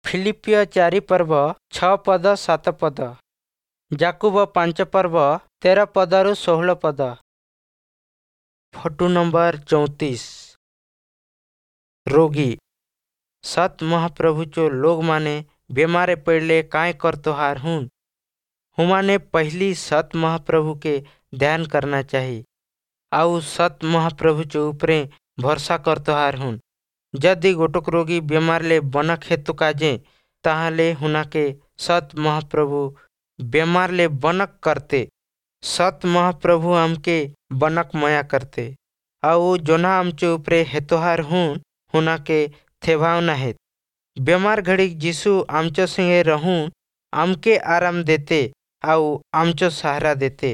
ଫିଲିପ୍ପୀୟ 4 ପର୍ବ 6 ପଦ 7 ପଦ, ଯାକୁବ 5 ପର୍ବ 13 ପଦରୁ 16 ପଦ। Photo number 34। ରୋଗୀ। ସତ୍ ମହାପ୍ରଭୁଚୋ ଲୋଗମାନେ ବେମାରେ ପଡ଼ଲେ कांय करतोहार हुन? हुमाने पहिली सत महाप्रभु के ध्यान करना चाही आउ सत महाप्रभुचो उपरे भरोसा करतोहार हुन। यदि गोटोक रोगी बेमारले बनक हेतु काजे ताहले हुनाके सत महाप्रभु बेमारले बनक करते। सत महाप्रभु आमके बनक मया करते आउ जोन्हा आमचे उपरे हेतोहार हुन हुनाके थेभावना हेत। बेमार घड़ीक यीशु आमचो संगे रहून, आमके आराम देते आउ आमचो सहारा देते।